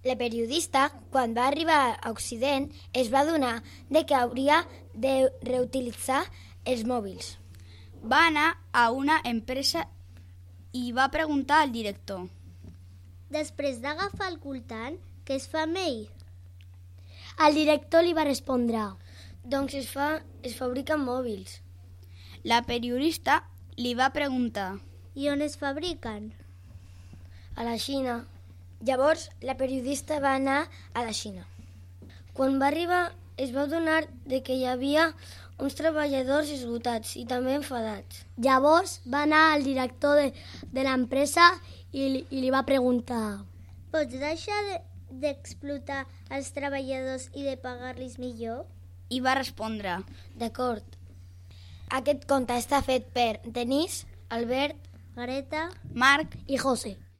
La periodista, quan va arribar a Occident, es va adonar de que hauria de reutilitzar els mòbils. Va anar a una empresa i va preguntar al director. Després d'agafar el coltant, què es fa amb ell? El director li va respondre. Doncs es fabriquen mòbils. La periodista li va preguntar. I on es fabriquen? A la Xina. Llavors, la periodista va anar a la Xina. Quan va arribar, es va adonar de que hi havia uns treballadors esgotats i també enfadats. Llavors va anar al director de l'empresa i li va preguntar. Pots deixar d'explotar els treballadors i de pagar-los millor? I va respondre. D'acord. Aquest conte està fet per Denís, Albert, Greta, Marc I José.